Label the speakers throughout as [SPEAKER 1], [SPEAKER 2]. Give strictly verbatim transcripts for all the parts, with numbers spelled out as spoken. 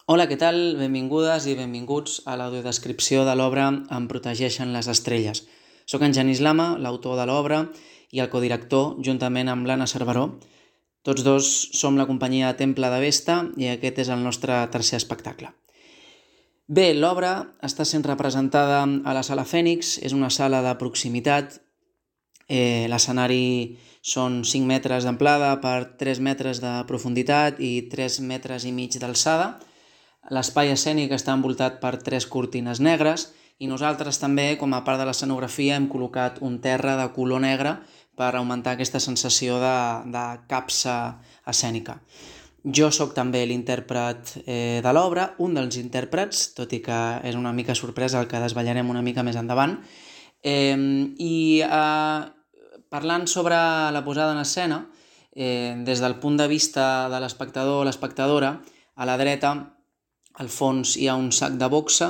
[SPEAKER 1] Hola, què tal? Benvingudes i benvinguts a l'audiodescripció de l'obra Em protegeixen les estrelles. Soc en Genís Lama, l'autor de l'obra i el codirector, juntament amb l'Anna Cerveró. Tots dos som la companyia Temple de Vesta i aquest és el nostre tercer espectacle. Bé, l'obra està sent representada a la Sala Fènix, és una sala de proximitat. Eh, l'escenari són cinc metres d'amplada per tres metres de profunditat i tres metres i mig d'alçada. L'espai escènic està envoltat per tres cortines negres i nosaltres també, com a part de l'escenografia, hem col·locat un terra de color negre per augmentar aquesta sensació de, de capsa escènica. Jo sóc també l'intèrpret eh, de l'obra, un dels intèrprets, tot i que és una mica sorpresa el que desvetllarem una mica més endavant. Eh, I eh, parlant sobre la posada en escena, eh, des del punt de vista de l'espectador o l'espectadora, a la dreta, al fons hi ha un sac de boxa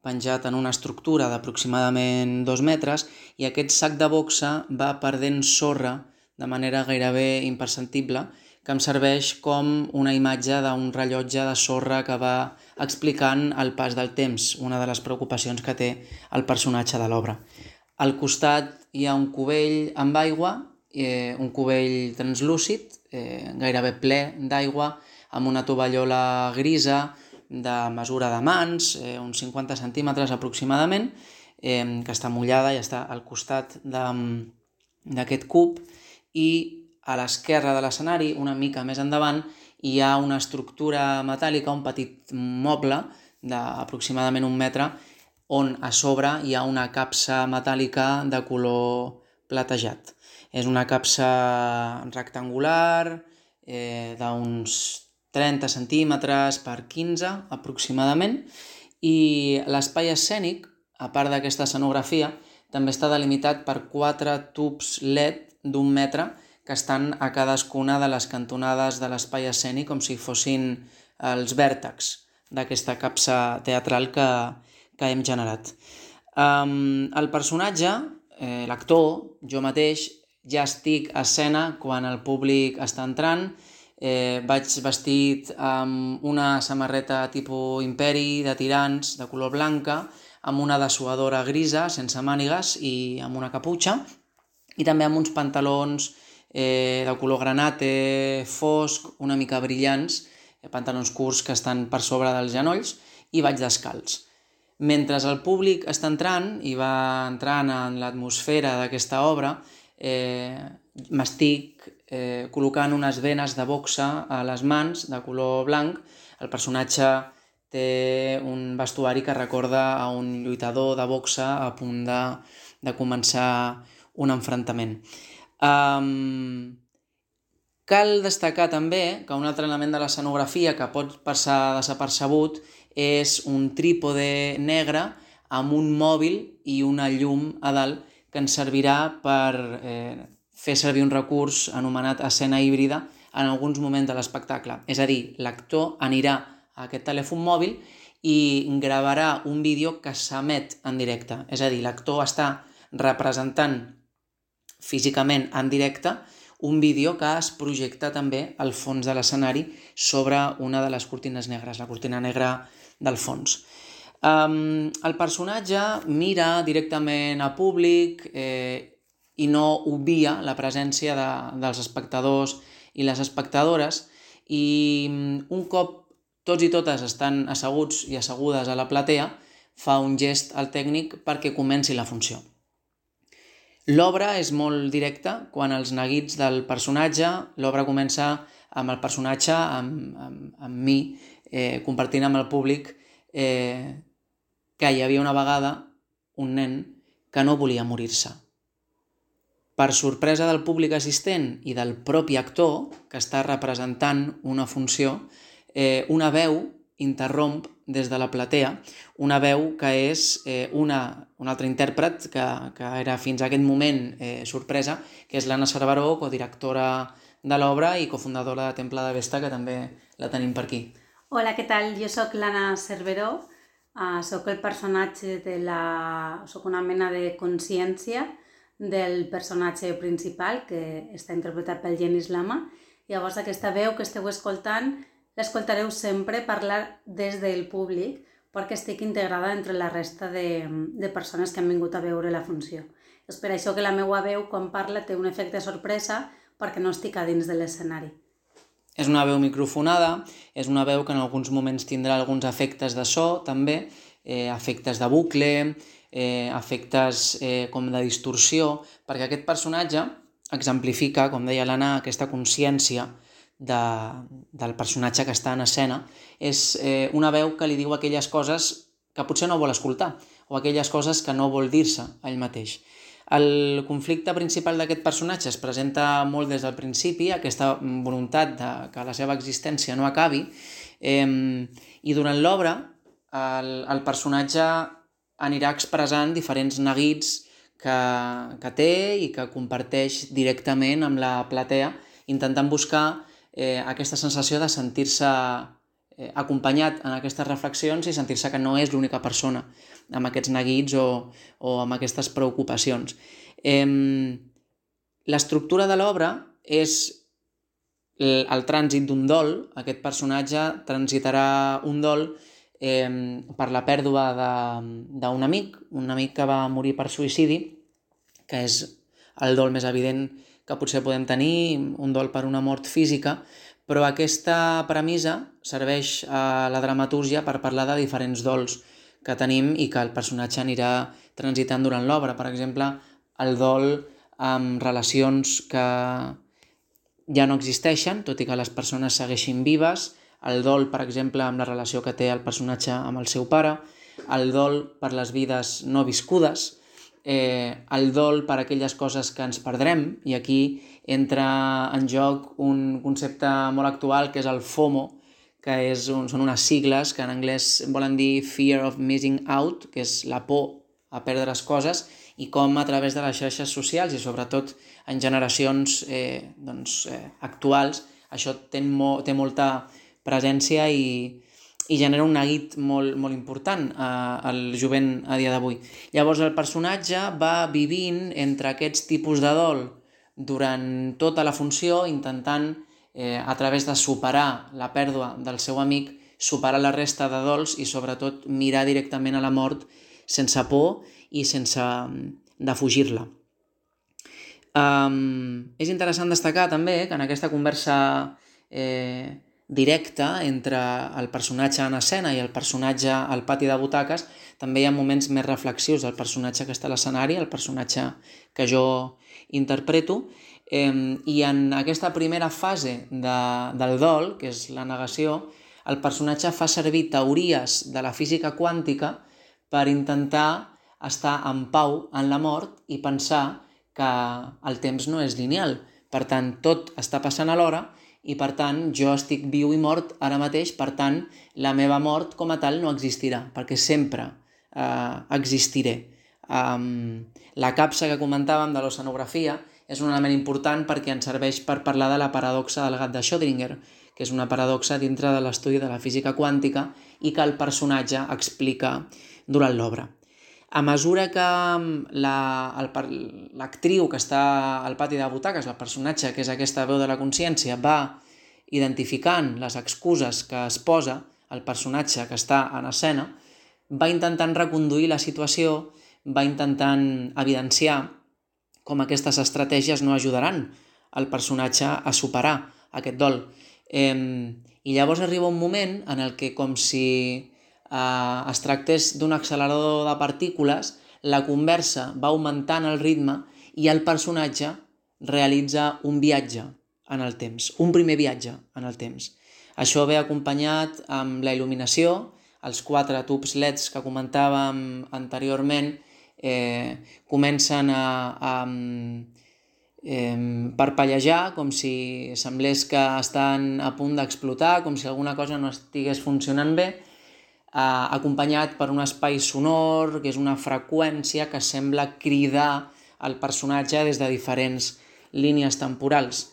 [SPEAKER 1] penjat en una estructura d'aproximadament dos metres i aquest sac de boxa va perdent sorra de manera gairebé imperceptible, que em serveix com una imatge d'un rellotge de sorra que va explicant el pas del temps, una de les preocupacions que té el personatge de l'obra. Al costat hi ha un cubell amb aigua, eh, un cubell translúcid, eh, gairebé ple d'aigua, amb una tovallola grisa, de mesura de mans, eh, uns cinquanta centímetres aproximadament, eh, que està mullada i està al costat d'aquest cub, i a l'esquerra de l'escenari, una mica més endavant, hi ha una estructura metàl·lica, un petit moble d'aproximadament un metre, on a sobre hi ha una capsa metàl·lica de color platejat. És una capsa rectangular, eh, d'uns trenta centímetres per quinze aproximadament, i l'espai escènic, a part d'aquesta escenografia, també està delimitat per quatre tubs L E D d'un metre que estan a cadascuna de les cantonades de l'espai escènic com si fossin els vèrtexs d'aquesta capsa teatral que, que hem generat. Um, el personatge, eh, l'actor, jo mateix, ja estic a escena quan el públic està entrant. Eh, vaig vestit amb una samarreta tipus imperi de tirants de color blanca, amb una dessuadora grisa sense mànigues i amb una caputxa, i també amb uns pantalons eh, de color granate fosc, una mica brillants, eh, pantalons curts que estan per sobre dels genolls, i vaig descalç. Mentre el públic està entrant i va entrant en l'atmosfera d'aquesta obra, eh, m'estic eh, col·locant unes venes de boxa a les mans de color blanc. El personatge té un vestuari que recorda a un lluitador de boxa a punt de, de començar un enfrontament. Um, cal destacar també que un altre element de l'escenografia que pot passar desapercebut és un trípode negre amb un mòbil i una llum a dalt que ens servirà per eh, fer servir un recurs anomenat escena híbrida en alguns moments de l'espectacle. És a dir, l'actor anirà a aquest telèfon mòbil i gravarà un vídeo que s'emet en directe. És a dir, l'actor està representant físicament en directe un vídeo que es projecta també al fons de l'escenari sobre una de les cortines negres, la cortina negra del fons. Um, el personatge mira directament a públic eh, i no obvia la presència de, dels espectadors i les espectadores, i un cop tots i totes estan asseguts i assegudes a la platea, fa un gest al tècnic perquè comenci la funció. L'obra és molt directa quan els neguits del personatge, l'obra comença amb el personatge, amb, amb, amb mi, eh, compartint amb el públic eh, que hi havia una vegada un nen que no volia morir-se. Per sorpresa del públic assistent i del propi actor, que està representant una funció, eh, una veu interromp des de la platea, una veu que és eh, una, un altre intèrpret que, que era fins a aquest moment eh, sorpresa, que és l'Anna Cerveró, codirectora de l'obra i cofundadora de Temple de Vesta, que també la tenim per aquí.
[SPEAKER 2] Hola, què tal? Jo sóc l'Anna Cerveró, uh, sóc el personatge de la... sóc una mena de consciència del personatge principal, que està interpretat pel Genís Lama. Llavors aquesta veu que esteu escoltant l'escoltareu sempre parlar des del públic perquè estic integrada entre la resta de, de persones que han vingut a veure la funció. És per això que la meva veu, quan parla, té un efecte sorpresa perquè no estic a dins de l'escenari.
[SPEAKER 1] És una veu microfonada, és una veu que en alguns moments tindrà alguns efectes de so, també, eh, efectes de bucle, eh, efectes eh, com de distorsió, perquè aquest personatge exemplifica, com deia l'Anna, aquesta consciència de, del personatge que està en escena. És eh, una veu que li diu aquelles coses que potser no vol escoltar, o aquelles coses que no vol dir-se a ell mateix. El conflicte principal d'aquest personatge es presenta molt des del principi, aquesta voluntat de que la seva existència no acabi, eh, i durant l'obra el, el personatge anirà expressant diferents neguits que, que té i que comparteix directament amb la platea, intentant buscar eh, aquesta sensació de sentir-se eh, acompanyat en aquestes reflexions i sentir-se que no és l'única persona amb aquests neguits o, o amb aquestes preocupacions. Eh, l'estructura de l'obra és el, el trànsit d'un dol. Aquest personatge transitarà un dol eh, per la pèrdua d'un amic, un amic que va morir per suïcidi, que és el dol més evident que potser podem tenir, un dol per una mort física, però aquesta premissa serveix a la dramatúrgia per parlar de diferents dols que tenim i que el personatge anirà transitant durant l'obra. Per exemple, el dol amb relacions que ja no existeixen, tot i que les persones segueixin vives, el dol, per exemple, amb la relació que té el personatge amb el seu pare, el dol per les vides no viscudes, eh, el dol per aquelles coses que ens perdrem, i aquí entra en joc un concepte molt actual que és el FOMO, que és un, són unes sigles que en anglès volen dir Fear of Missing Out, que és la por a perdre les coses, i com a través de les xarxes socials i sobretot en generacions eh, doncs, eh, actuals això té, mo, té molta presència i, i genera un neguit molt, molt important eh, al jovent a dia d'avui. Llavors el personatge va vivint entre aquests tipus de dol durant tota la funció, intentant eh, a través de superar la pèrdua del seu amic, superar la resta de dols i sobretot mirar directament a la mort sense por i sense defugir-la. Um, és interessant destacar també que en aquesta conversa eh, directa entre el personatge en escena i el personatge al pati de butaques també hi ha moments més reflexius del personatge que està a l'escenari, el personatge que jo interpreto, eh, i en aquesta primera fase de, del dol, que és la negació, el personatge fa servir teories de la física quàntica per intentar estar en pau en la mort i pensar que el temps no és lineal. Per tant, tot està passant alhora i, per tant, jo estic viu i mort ara mateix, per tant, la meva mort com a tal no existirà, perquè sempre eh, existiré. Um, la capsa que comentàvem de l'oceanografia és un element important perquè ens serveix per parlar de la paradoxa del gat de Schrödinger, que és una paradoxa dintre de l'estudi de la física quàntica i que el personatge explica durant l'obra. A mesura que l'actriu que està al pati de butaques, el personatge que és aquesta veu de la consciència, va identificant les excuses que es posa el personatge que està en escena, va intentant reconduir la situació, va intentant evidenciar com aquestes estratègies no ajudaran el personatge a superar aquest dol. Eh, I llavors arriba un moment en el que, com si eh, es tractés d'un accelerador de partícules, la conversa va augmentant el ritme i el personatge realitza un viatge en el temps, un primer viatge en el temps. Això ve acompanyat amb la il·luminació, els quatre tubs L E Ds que comentàvem anteriorment eh, comencen a, a eh, parpellejar com si semblés que estan a punt d'explotar, com si alguna cosa no estigués funcionant bé, eh, acompanyat per un espai sonor, que és una freqüència que sembla cridar el personatge des de diferents línies temporals.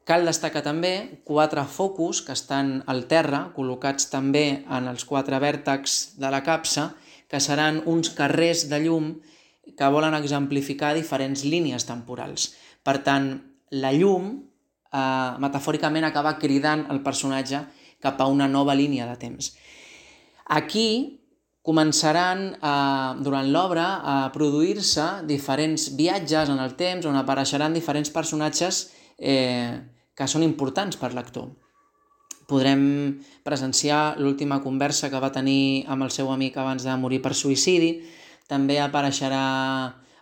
[SPEAKER 1] Cal destacar també quatre focus que estan al terra, col·locats també en els quatre vèrtexs de la capsa, que seran uns carrers de llum que volen exemplificar diferents línies temporals. Per tant, la llum, eh, metafòricament, acaba cridant el personatge cap a una nova línia de temps. Aquí començaran a, durant l'obra a produir-se diferents viatges en el temps on apareixeran diferents personatges eh, que són importants per l'actor. Podrem presenciar l'última conversa que va tenir amb el seu amic abans de morir per suïcidi, també apareixerà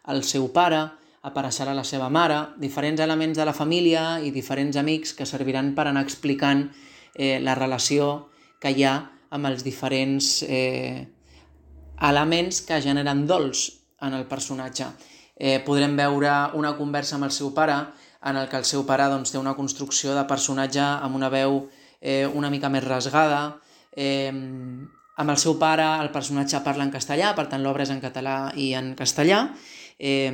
[SPEAKER 1] el seu pare, apareixerà la seva mare, diferents elements de la família i diferents amics que serviran per anar explicant eh, la relació que hi ha amb els diferents eh, elements que generen dols en el personatge. Eh, podrem veure una conversa amb el seu pare en el que el seu pare doncs, té una construcció de personatge amb una veu eh, una mica més rasgada. Eh, amb el seu pare el personatge parla en castellà, per tant l'obra és en català i en castellà, eh,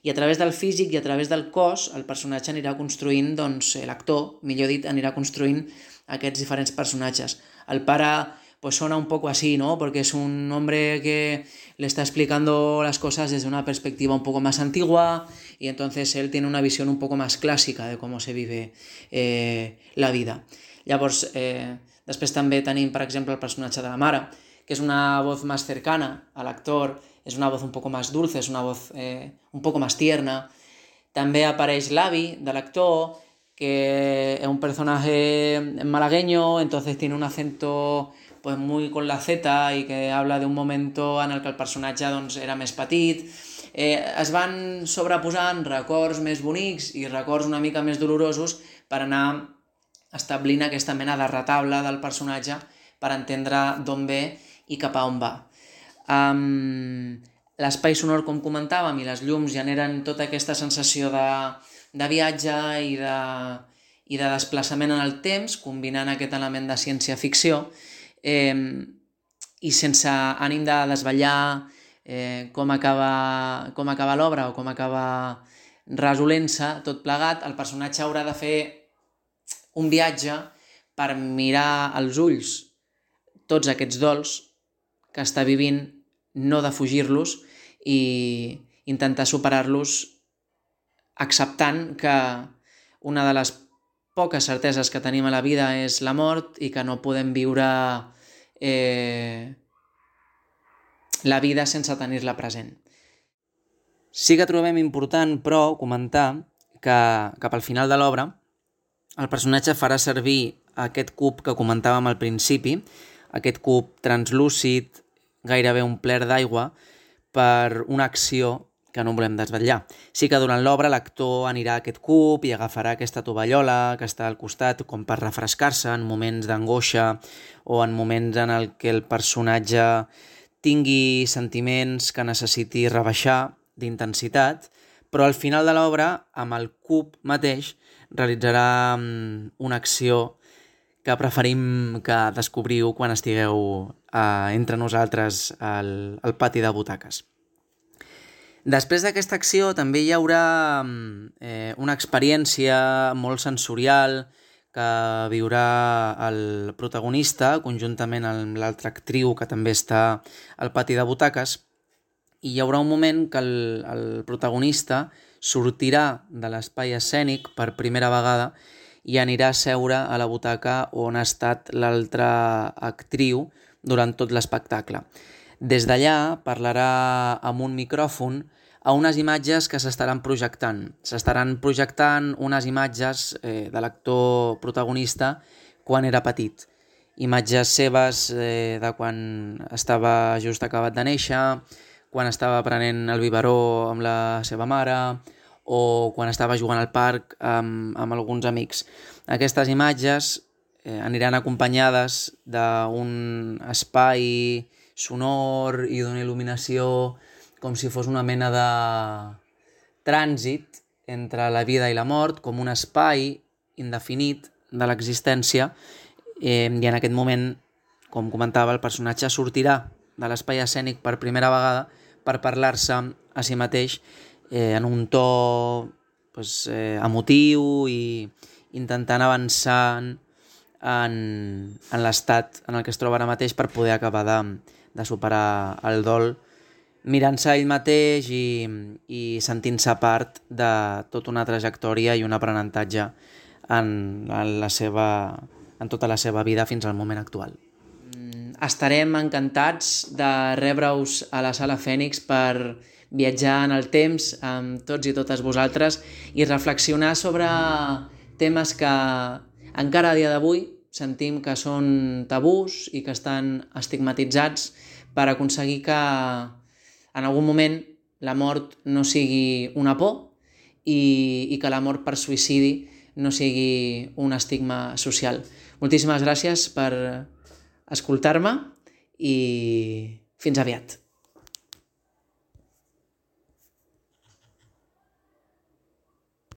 [SPEAKER 1] i a través del físic i a través del cos el personatge anirà construint, doncs l'actor, millor dit, anirà construint aquests diferents personatges. El pare pues suena un poco así, ¿no? Porque es un hombre que le está explicando las cosas desde una perspectiva un poco más antigua y entonces él tiene una visión un poco más clásica de cómo se vive eh, la vida. Llavors, eh, després també tenim, per exemple, el personatge de la mare, que és una voz más cercana al actor, és una voz un poco más dulce, és una voz eh, un poco más tierna. També apareix l'avi de l'actor, que es un personaje malagueño, entonces tiene un acento pues muy con la Z y que habla de un momento en el que el personatge doncs, era més petit. Eh, es van sobreposant records més bonics i records una mica més dolorosos per anar establint aquesta mena de retable del personatge per entendre d'on ve i cap a on va. Um, L'espai sonor, com comentàvem, i les llums generen tota aquesta sensació de, de viatge i de, i de desplaçament en el temps, combinant aquest element de ciència-ficció, Eh, i sense ànim de desvetllar eh, com acaba, com acaba l'obra o com acaba resolent-se tot plegat, el personatge haurà de fer un viatge per mirar als ulls tots aquests dols que està vivint, no defugir-los i intentar superar-los acceptant que una de les poques certeses que tenim a la vida és la mort i que no podem viure eh, la vida sense tenir-la present. Sí que trobem important, però, comentar que cap al final de l'obra el personatge farà servir aquest cub que comentàvem al principi, aquest cub translúcid, gairebé un pler d'aigua, per una acció que no volem desvetllar. Sí que durant l'obra l'actor anirà a aquest cub i agafarà aquesta tovallola que està al costat com per refrescar-se en moments d'angoixa o en moments en el que el personatge tingui sentiments que necessiti rebaixar d'intensitat, però al final de l'obra, amb el cub mateix, realitzarà una acció que preferim que descobriu quan estigueu eh, entre nosaltres al, al pati de butaques. Després d'aquesta acció també hi haurà eh, una experiència molt sensorial que viurà el protagonista conjuntament amb l'altra actriu que també està al pati de butaques, i hi haurà un moment que el, el protagonista sortirà de l'espai escènic per primera vegada i anirà a seure a la butaca on ha estat l'altra actriu durant tot l'espectacle. Des d'allà parlarà amb un micròfon a unes imatges que s'estaran projectant. S'estaran projectant unes imatges eh, de l'actor protagonista quan era petit. Imatges seves eh, de quan estava just acabat de néixer, quan estava prenent el biberó amb la seva mare o quan estava jugant al parc amb, amb alguns amics. Aquestes imatges eh, aniran acompanyades d'un espai sonor i d'una il·luminació com si fos una mena de trànsit entre la vida i la mort, com un espai indefinit de l'existència, eh, i en aquest moment, com comentava, el personatge sortirà de l'espai escènic per primera vegada per parlar-se a si mateix eh, en un to pues, eh, emotiu i intentant avançar en, en l'estat en el que es troba ara mateix per poder acabar de, de superar el dol, mirant-se ell mateix i, i sentint-se part de tota una trajectòria i un aprenentatge en, en, la seva, en tota la seva vida fins al moment actual. Estarem encantats de rebre-us a la Sala Fènix per viatjar en el temps amb tots i totes vosaltres i reflexionar sobre temes que encara a dia d'avui sentim que són tabús i que estan estigmatitzats per aconseguir que en algun moment la mort no sigui una por i, i que la mort per suïcidi no sigui un estigma social. Moltíssimes gràcies per escoltar-me i fins aviat.